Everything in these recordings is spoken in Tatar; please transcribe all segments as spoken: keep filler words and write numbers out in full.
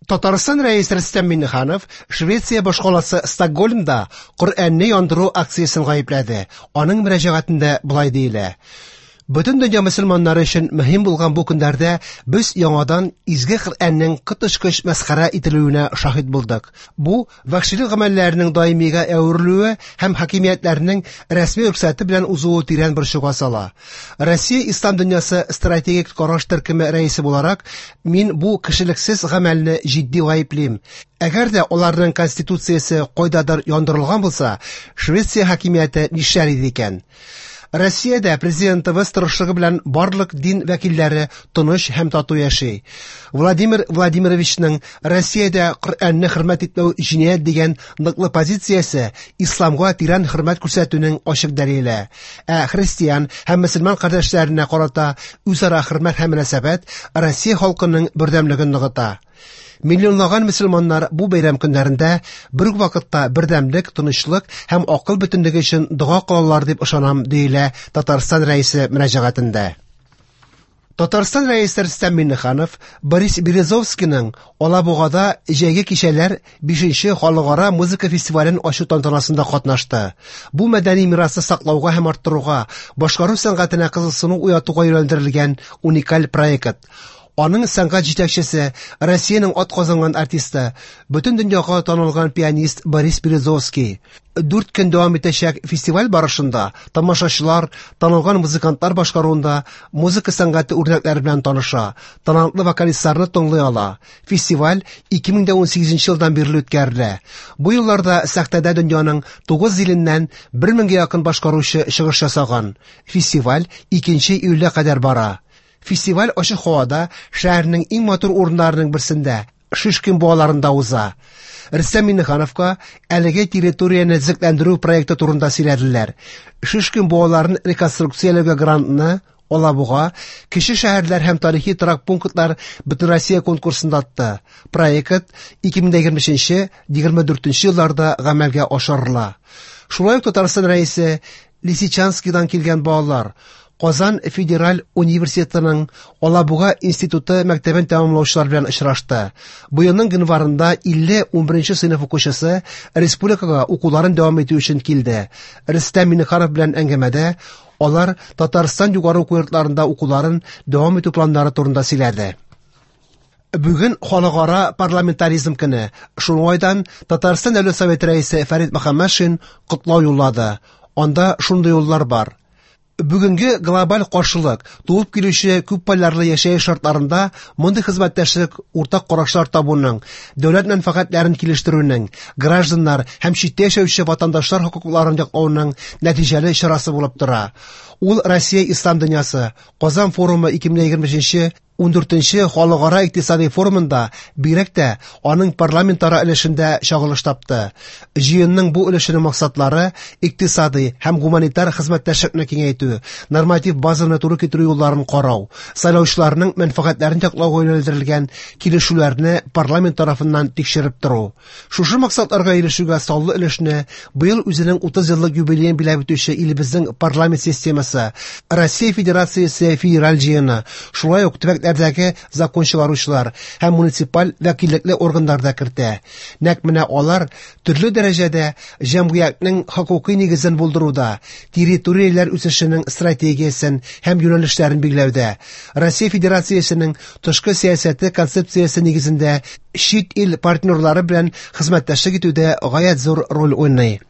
Татарстан Рәисе Рөстәм Миңнеханов Швеция башкаласы Стокгольмда Коръәнне яндыру акциясен гаепләде. Аның мөрәҗәгатендә болай диелә: Бөтен дөнья мөселманнары өчен мөһим булган бу көннәрдә без яңадан изге Коръәннең коточкыч мәсхәрә ителүенә шаһит булдык. Бу вәхшилек гамәлләренең даимигә әверелүе һәм хакимиятләрнең рәсми рөхсәте белән узуы тирән борчуга сала. Россия Ислам дөньясы стратегик караш төркеме рәисе буларак, мин бу кешелексез гамәлне җитди гаеплим. Әгәр дә аларның конституциясе кайдадыр яндырылган булса, Швеция хакимияте нишләр иде икән? Россиядә президентыбыз тырышлыгы белән барлык дин вәкилләре тыныч һәм тату яши. Владимир Владимировичның Россиядә Коръәнне хөрмәт итмәү җинаять дигән ныклы позициясе исламга тирән хөрмәт күрсәтүнең ачык дәлиле. Ә христиан һәм мөселман кардәшләренә карата үзара хөрмәт һәм мөнәсәбәт Россия халкының бердәмлеген ныгыта. Миллионлаган мөселманнар бу бәйрәм көннәрендә бер үк вакытта бердәмлек, тынычлык һәм акыл бөтенлеге өчен дога кылалар дип ышанам, диелә Татарстан Рәисе мөрәҗәгатендә. Татарстан Рәисе Рөстәм Миңнеханов Борис Березовскийның Алабугада җәйге кичәләр бишенче халыкара музыка фестивален ачу тантанасында катнашты. Бу мәдәни мирасны саклауга һәм арттыруга, башкару сәнгатенә кызыксыну уятуга юнәлдерелгән уникаль проект. Аның сәнгать җитәкчесе, Россиянең атказанган артисты, бөтен дөньяга танылган пианист Борис Березовский. Дүрт көн дәвам итәчәк фестиваль барышында тамашачылар танылган музыкантлар башкаруында музыка сәнгате үрнәкләре белән таныша, талантлы вокалистларны тыңлый ала. Фестиваль ике мең дә унсигезенче елдан бирле үткәрелә. Бу елларда сәхнәдә дөньяның тугыз иленнән бер меңгә якын башкаручы чыгыш ясаган. Фестиваль икенче июльгә кадәр бара. Фестиваль ачык һавада шәһәрнең иң матур урыннарының берсендә, Шишкин буаларында уза. Рөстәм Миңнехановка әлеге территорияне төзекләндерү проекты турында сөйләделәр. Шишкин буаларын реконструкцияләүгә грантны Алабуга, кече шәһәрләр һәм тарихи торак пунктлар Бөтенроссия конкурсында отты. Проект ике мең егерме өченче, егерме дүртенче елларда гамәлгә ашырыла. Шулай ук Татарстан Рәисе Лисичанскидан килгән балалар Казан Федераль университетының Алабуга институты мәктәбен тәмамлаучылар белән очрашты. Быелның гыйнварында илле унберенче сыйныф укучысы республикага укуларын дәвам итү өчен килде. Рөстәм Миңнеханов белән әңгәмәдә алар Татарстан югары уку йортларында укуларын дәвам итү планнары турында сөйләде. Бүген халыкара парламентаризм көне. Шул уңайдан Татарстан Дәүләт Советы рәисе Фәрит Мөхәммәтшин котлау юллады. Анда шундый юллар бар. Бүгенге глобаль каршылык, туып килүче күп полярлы яшәеш шартларында мондый хезмәттәшлек уртак карашлар табуның, дәүләт мәнфәгатьләрен килештерүнең, гражданнар һәм читтә яшәүче ватандашлар хокукларын яклауның нәтиҗәле чарасы булып тора. Ул Россия Ислам дөньясы, Казан форумы ике мең егерме өченче, ундүртенче халыкара икътисади форумында бигрәк тә аның парламентара өлешендә чагылыш тапты. Җыенның бу өлешенең максатлары икътисади һәм гуманитар хезмәттәшлекне киңәйтү, норматив базаны туры китерү юлларын карау, сайлаучыларның мәнфәгатьләрен яклауга юнәлдерелгән килешүләрне парламент тарафыннан тикшереп тору. Шушы максатларга ирешүгә саллы өлешне быел үзенең утыз еллык юбилеен биләп үтүче илебезнең парламент системасы, Россия Федерациясе Федераль җыены, шулай ук төбәкләрдәге закон чыгаручылар һәм муниципаль вәкиллекле органнар да кертә. Нәкъ менә алар төрле дәрәҗәдә җәмгыятьнең хокукый нигезен булдыруда, территорияләр үсешенең стратегиясен һәм юнәлешләрен билгеләүдә, Россия Федерациясенең тышкы сәясәте концепциясе нигезендә чит ил партнерлары белән хезмәттәшлек итүдә гаять зур роль уйный.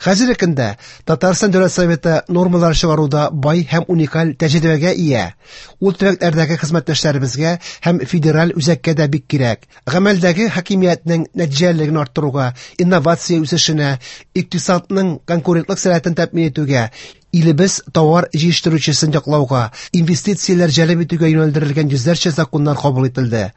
Хәзерге көндә Татарстан Дәүләт Советы нормалар чыгаруда бай һәм уникаль тәҗрибәгә ия. Ул төбәкләрдәге хезмәттәшләребезгә һәм федераль үзәккә дә бик кирәк. Гамәлдәге хакимиятнең нәтиҗәлелеген арттыруга, инновация үсешенә, икътисадның конкурентлык сәләтен тәэмин итүгә, илебез товар җитештерүчесен яклауга, инвестицияләр җәлеп итүгә юнәлдерелгән йөзләрчә законнар кабул ителде.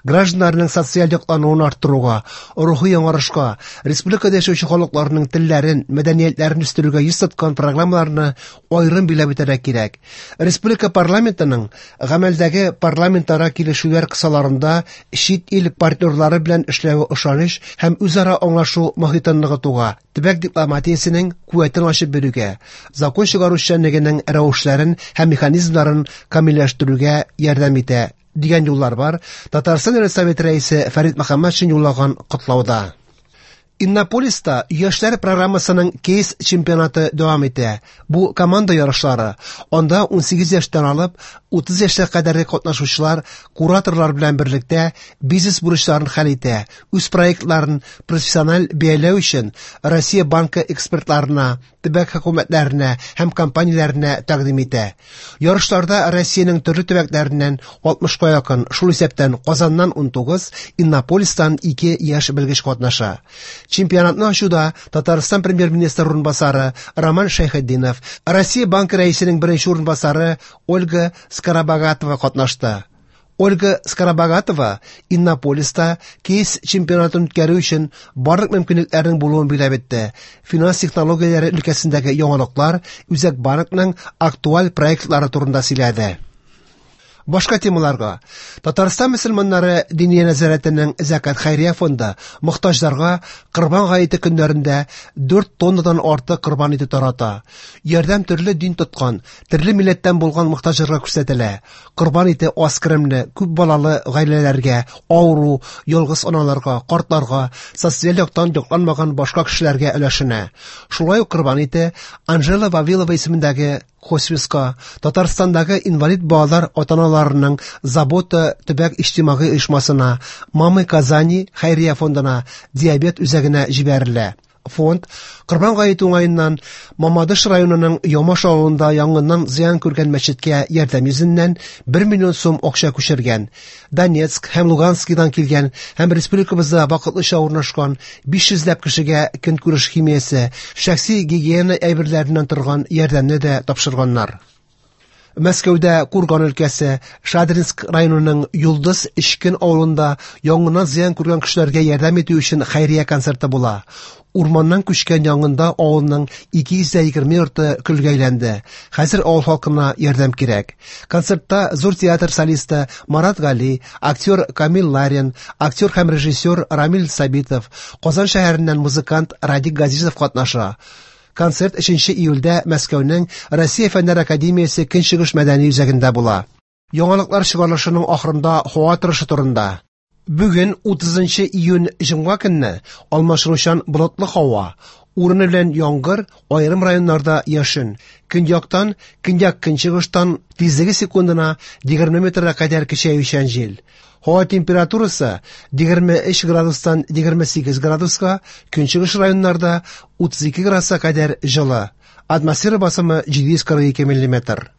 Гражданнарның социаль яклануын арттыруга, рухи яңарышка, республикада яшәүче халыкларның телләрен, мәдәниятләрен үстерүгә йөз тоткан программаларны аерым билгеләп үтәргә кирәк. Республика парламентының гамәлдәге парламентара килешүләр кысаларында чит ил партнерлары белән эшләве ышаныч һәм үзара аңлашу мохитен ныгытуга, төбәк дипломатиясенең куәтен ачып бирүгә, закон чыгару эшчәнлегенең рәвешләрен һәм механизмнарын камилләштерүгә ярдәм итә, Дигән юллар бар Татарстан Дәүләт Советы рәисе Фәрит Мөхәммәтшин юллаган котлауда. Иннополиста яшьләр программасының кейс чемпионаты дәвам итә. Бу команда ярышлары. Анда унсигез яшьтән алып утыз яшькә кадәрге катнашучылар кураторлар белән берлектә бизнес бурычларын хәл итә, үз проектларын профессиональ бәяләү өчен Россия банкы экспертларына, төбәк хөкүмәтләренә һәм компанияләренә тәкъдим итә. Ярышларда Россиянең төрле төбәкләреннән алтмышка якын, шул исәптән Казаннан унтугыз, Иннополистан ике яшь белгеч катнаша. Чемпионатны ачуда Татарстан премьер-министры урынбасары Роман Шәйхетдинов, Россия банкы рәисенең беренче урынбасары Ольга Скоробогатова катнашты. Ольга Скоробогатова Иннополиста кейс чемпионатын үткәрү өчен барлык мөмкинлекләрнең булуын билгеләп үтте. Финанс технологияләре өлкәсендәге яңалыклар, Үзәк банкның актуаль проектлары турында сөйләде. Башка темаларга. Татарстан мөселманнары Диния нәзарәтенең Зәкат хәйрия фонды мохтаҗларга Корбан гаете көннәрендә дүрт тоннадан артык корбан ите тарата. Ярдәм төрле дин тоткан, төрле милләттән булган мохтаҗларга күрсәтелә. Корбан ите аз керемле, күп балалы гаиләләргә, авыру, ялгыз аналарга, картларга, социаль яктан якланмаган башка кешеләргә өләшенә. Шулай ук корбан ите Анжела Вавилова исемендәге хосписка, Татарстандагы инвалид балалар ата-аналарының Забота төбәк иҗтимагый оешмасына, Мамы Казани хәйрия фондына, диабет үзәгенә җибәрелә. Фонд Корбан гаете уңаеннан Мамадыш районының Ямаш авылында янгыннан зыян күргән мәчеткә ярдәм йөзеннән бер миллион сум акча күчергән. Донецк һәм Луганскидан килгән һәм республикабызда вакытлыча урнашкан биш йөзләп кешегә көнкүреш химиясе, шәхси гигиена әйберләреннән торган ярдәмне дә тапшырганнар. Мәскәүдә Курган өлкәсе Шадринск районының Йолдыз Эчкен авылында янгыннан зыян күргән кешеләргә ярдәм итү өчен хәйрия концерты була. Урманнан күчкән янгында авылның ике йөз егерме йорты көлгә әйләнде. Хәзер авыл халкына ярдәм кирәк. Концертта зур театр солисты Марат Гали, актер Камил Ларин, актер һәм режиссер Рамил Сабитов, Казан шәһәреннән музыкант Радик Газизов катнаша. Концерт өченче июльдә Мәскәүнең Россия Фәннәр Академиясе Көнчыгыш мәдәни үзәгендә була. Яңалыклар чыгарылышының ахырында һава торышы турында. Бүген утызынчы июнь җомга көнне алмашынучан болытлы һава, урыны белән яңгыр, аерым районнарда яшен. Көньяктан, көньяк-көнчыгыштан тизлеге секундына егерме метрга кадәр көчәючән җил. Һава температурасы егерме өч градустан егерме сигез градуска, көнчыгыш районнарда утыз ике градуска кадәр җылы. Атмосфера басымы җиде йөз кырык ике миллиметр.